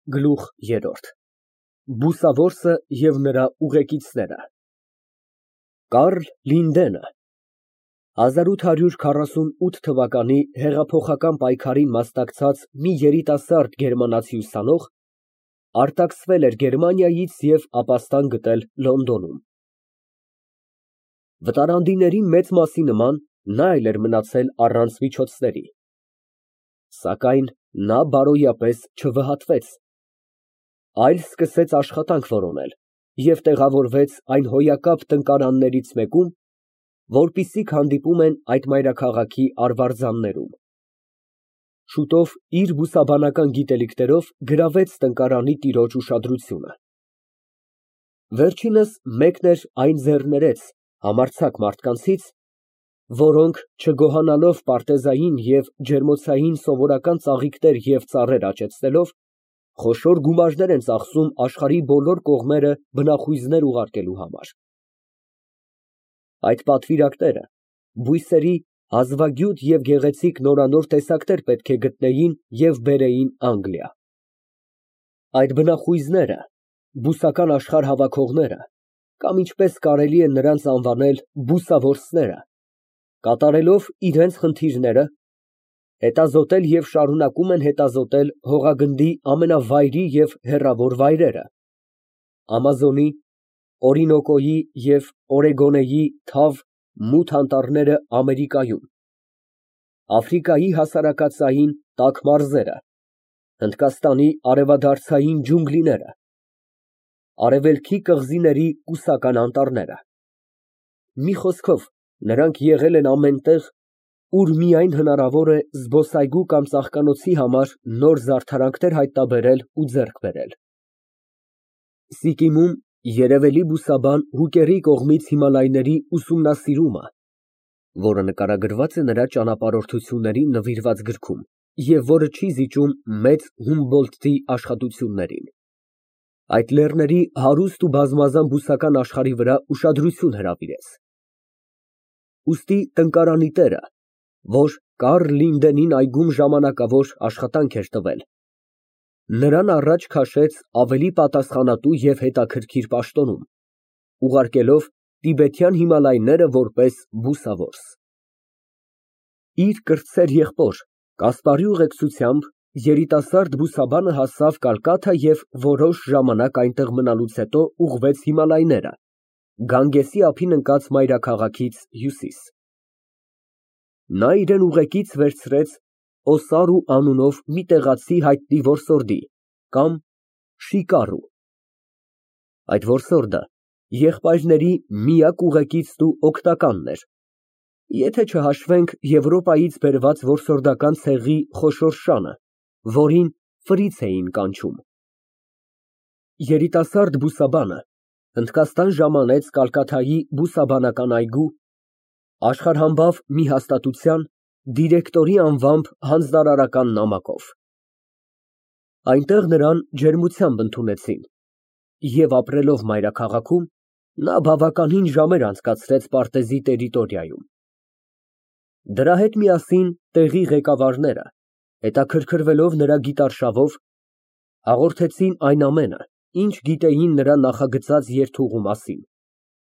Գլուխ երրորդ Բուսավորսը և նրա ուղեկիցները Կարլ Լինդենը 1848 թվականի հեղափոխական պայքարին մասնակցած մի երիտասարդ գերմանացի ուսանող, արտաքսվել էր Գերմանիայից և ապաստան գտել Լոնդոնում։ Վտարանդիների մեծ մասի նման նա էլ էր մնացել առանց միջոցների, սակայն նա բարոյապես չվհատվեց, այլ սկսեց աշխատանք որոնել և տեղավորվեց այն հոյակապ տնկարաններից մեկում, որպիսիք հանդիպում են այդ մայրաքաղաքի արվարձաններում։ Շուտով իր բուսաբանական գիտելիքներով գրավեց տնկարանի տիրոջ ուշադրությունը։ Վերջինս մեկն էր այն ձեռներեց համարձակ մարդկանցից, որոնք, չգոհանալով պարտեզային և ջերմոցային սովորական ծաղիկներ և ծառեր աճեցնելով, խոշոր գումարներ են ծախսում աշխարհի բոլոր կողմերը բնախույզներ ուղարկելու համար։ Այդ պատվիրակները բույսերի հազվագյուտ և գեղեցիկ նորանոր տեսակներ պետք է գտնեին և բերեին Անգլիա։ Այդ բնախույզները, բուսական աշխարհ հավաքողները, կամ ինչպես կարելի է նրանց անվանել բուսավորսները, կատարելով իրենց խնդիրները, հետազոտել և շարունակում են հետազոտել հողագնդի ամենավայրի և հեռավոր վայրերը, Ամազոնի, Օրինոկոյի և Օրեգոնեի թավ, մութ անտառները Ամերիկայում, Աֆրիկայի հասարակածային տաք մարզերը, Հնդկաստանի արևադարձային ջունգլիները, Արևելքի կղզիների կուսական անտառները, մի խոսքով, նրանք եղել են ամեն տեղ, ուր միայն հնարավոր է զբոսայգու կամ ծաղկանոցի համար նոր զարդարանքներ հայտնաբերել ու ձեռք բերել։ Սիկիմում երևելի բուսաբան Հուկերի կողմից Հիմալայների ուսումնասիրումը, որը նկարագրված է նրա ճանապարհորդություններին նվիրված գրքում և որը չի զիջում մեծ Հումբոլդտի աշխատություններին, այդ լեռների հարուստ ու բազմազան բուսական աշխարհի վրա ուշադրություն հրավիրեց։ Ուստի տնկարանի տերը, որ Կարլ Լինդենին այգում ժամանակավոր աշխատանք էր տվել, նրան առաջ քաշեց ավելի պատասխանատու և հետաքրքիր պաշտոնում, ուղարկելով տիբեթյան Հիմալայները որպես բուսավորս։ Իր կրտսեր եղբոր Կասպարի ուղեկցությամբ երիտասարդ բուսաբանը հասավ Կալկաթա և որոշ ժամանակ այնտեղ մնալուց հետո ուղղվեց Հիմալայները, Գանգեսի ափին ընկած մայրաքաղաքից հյուսիս։ Նա իրան ուղեկից վերցրեց Օսարու անունով մի տեղացի հայտնի որսորդի կամ շիկարու։ Այդ որսորդը եղբայրների միակ ուղեկիցն ու օգնականն էր, եթե չհաշվենք Եվրոպայից բերված որսորդական ցեղի խոշոր շանը, որին ֆրից էին կանչում։ Երիտասարդ բուսաբանը Հնդկաստան ժամանեց Կալկաթայի բուսաբանական այգու, աշխարհամբավ մի հաստատության դիրեկտորի անվամբ հանձնարարական նամակով։ Այնտեղ նրան ջերմությամբ ընդունեցին, և ապրելով մայրաքաղաքում, նա բավականին ժամեր անցկացրեց պարտեզի տերիտորիայում։ Դրա հետ միասին տեղի ղեկավարները, հետաքրքրվելով նրա գիտարշավով, հաղորդեցին այն ամենը, ինչ գիտեին նրա նախագծած երթուղու մասին,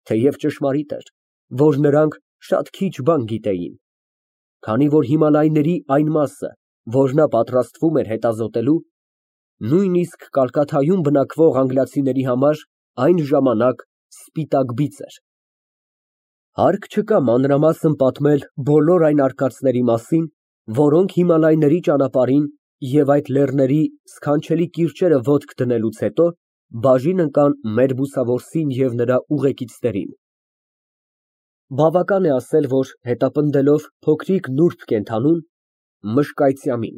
թեև ճշմարիտ էր, որ նրանք շատ քիչ բան գիտեին, քանի որ Հիմալայների այն մասը, որ նա պատրաստվում էր հետազոտելու, նույնիսկ Կալկաթայում բնակվող անգլիացիների համար այն ժամանակ սպիտակ բիծ էր։ Հարկ չկա մանրամասն պատմել բոլոր այն արկածների մասին, որոնք Հիմալայների ճանապարհին և այդ լեռների սքանչելի կիրճերը ոտք դնելուց հետո բաժին ընկան մեր բուսավորսին և նրա ուղեկիցներին։ Բավական է ասել, որ հետապնդելով փոքրիկ նուրբ կենդանուն՝ մշկայծյամին,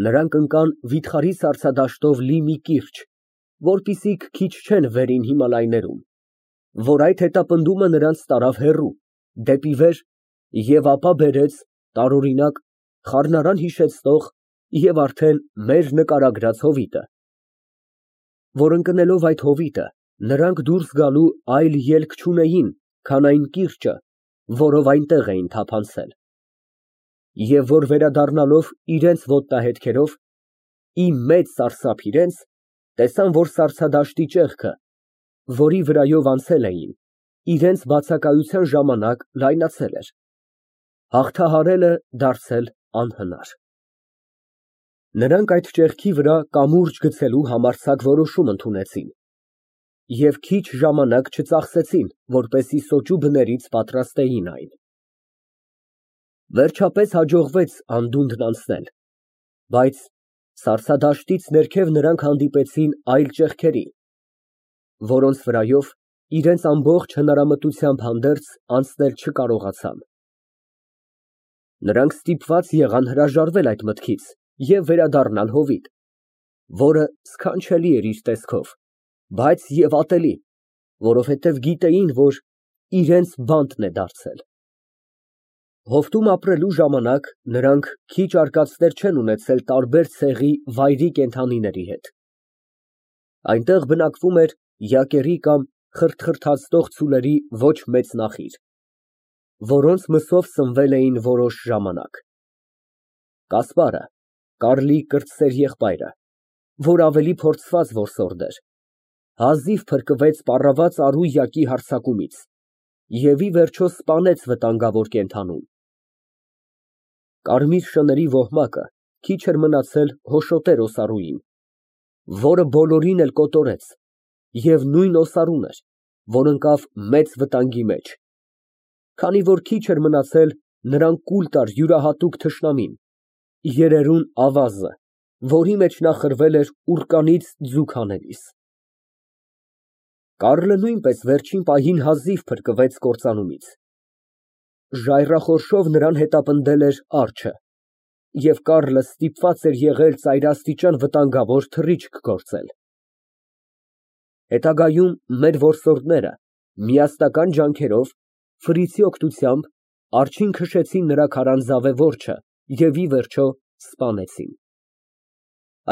նրանք ընկան վիթխարի սառցադաշտով լի մի կիրճ, որպիսիք քիչ չեն վերին Հիմալայներում, որ այդ հետապնդումը նրանց տարավ հեռու, դեպի վեր և ապա բերեց, տարօրինակ, խառնարան հիշեցնող և արդեն մեր նկարագրած հովիտը, որ ընկնելով այդ հովիտը, նրանք դուրս գալու այլ ելք չունեին, քան այն կիրճը, որով այնտեղ էին թափանցել, և որ վերադառնալով իրենց ոտնահետքերով, մեծ սարսափ իրենց, տեսան, որ սառցադաշտի ճեղքը, որի վրայով անցել էին, իրենց բացակայության ժամանակ լայնացել էր, հաղթահարելը դարձել անհնար։ Նրանք այդ ճեղքի վրա կամուրջ գցելու համարձակ որոշում ընդունեցին և քիչ ժամանակ չծախսեցին, որպեսզի սոճու բներից պատրաստեին այն։ Վերջապես հաջողվեց անդունդն անցնել, բայց սառցադաշտից ներքև նրանք հանդիպեցին այլ ճեղքերի, որոնց վրայով իրենց ամբողջ հնարամտությամբ հանդերձ անցնել չկարողացան։ Նրանք ստիպված եղան հրաժարվել այդ մտքից և վերադառնալ հովիտ, որը սքանչելի էր իր տեսքով, բայց և ատելի, որովհետև գիտեին, որ իրենց բանտն է դարձել։ Հովտում ապրելու ժամանակ նրանք քիչ արկածներ չեն ունեցել տարբեր ցեղի վայրի կենդանիների հետ։ Այնտեղ բնակվում էր յակերի կամ խրթխրթացնող ցուլերի ոչ մեծ նախիր, որոնց մսով սնվել էին որոշ ժամանակ։ Կասպարը, Կարլի կրտսեր եղբայրը, որ ավելի փորձված որսորդ էր, հազիվ փրկվեց պառաված Արույակի հարձակումից և ի վերջո սպանեց վտանգավոր կենդանուն։ Կարմիր շների ոհմակը քիչ էր մնացել հոշոտեր օսարուին, որը բոլորին էլ կոտորեց, և նույն օսարուն էր, որ ընկավ մեծ վտանգի մեջ, քանի որ քիչ էր մնացել նրան կուլ տար յուրահատուկ թշնամին, երերուն ավազը, որի մեջ նա խրվել էր ուռկանից ձուկ հանելիս։ Կարլը նույնպես վերջին պահին հազիվ փրկվեց կործանումից։ Ժայռախորշով նրան հետապնդել էր արջը, և Կարլը ստիպված էր եղել ծայրաստիճան վտանգավոր թռիչք գործել։ Հետագայում մեր որսորդները միասնական ջանքերով, ֆրիցի օգնությամբ արջին քշեցին նրա քարանձավե որջը և ի վերջո սպանեցին։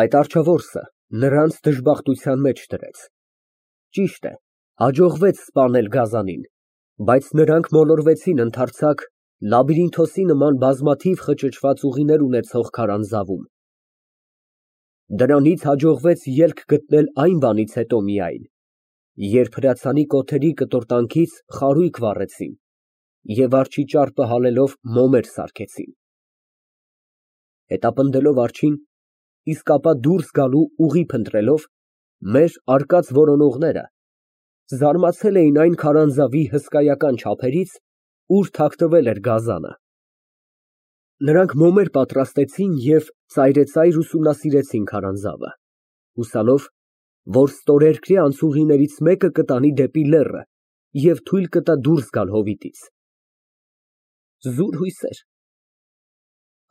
Այդ արջավորսը նրանց դժբախտության մեջ դրեց։ Ճիշտ է, հաջողվեց սպանել գազանին, բայց նրանք մոլորվեցին ընդարձակ լաբիրինթոսի նման բազմաթիվ խճճված ուղիներ ունեցող քարանձավում։ Դրանից հաջողվեց ելք գտնել այն բանից հետո միայն, երբ հրացանի կոթերի կտորտանքից խարույկ վառեցին և արջի ճարպը հալելով մոմեր սարքեցին։ Հետապնդելով արջին, իսկ ապա դուրս գալու ուղի փնտրելով, մեր արկած որոնողները զարմացել էին այն քարանձավի հսկայական չափերից, ուր թաքնվել էր գազանը։ Նրանք մոմեր պատրաստեցին և ծայրեցայր ուսումնասիրեցին քարանձավը, հուսալով, որ ստորերկրյա անցուղիներից մեկը կտանի դեպի լեռը և թույլ կտա դուրս գալ հովիտից։ Զուր հույսեր։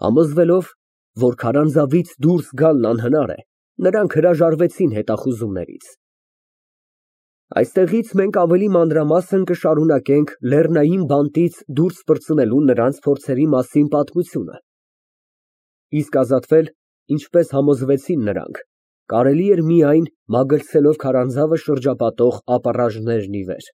Համոզվելով, որ քարանձավից դուրս գալն անհնար է, նրանք հրաժարվեցին հետախուզումներից։ Այստեղից մենք ավելի մանրամասն կշարունակենք լեռնային բանտից դուրս պրծնելու նրանց փորձերի մասին պատմությունը, իսկ ազատվել, ինչպես համոզվեցին նրանք, կարելի էր միայն մագլցելով քարանձավը շրջապատող ապառաժներն ի վեր։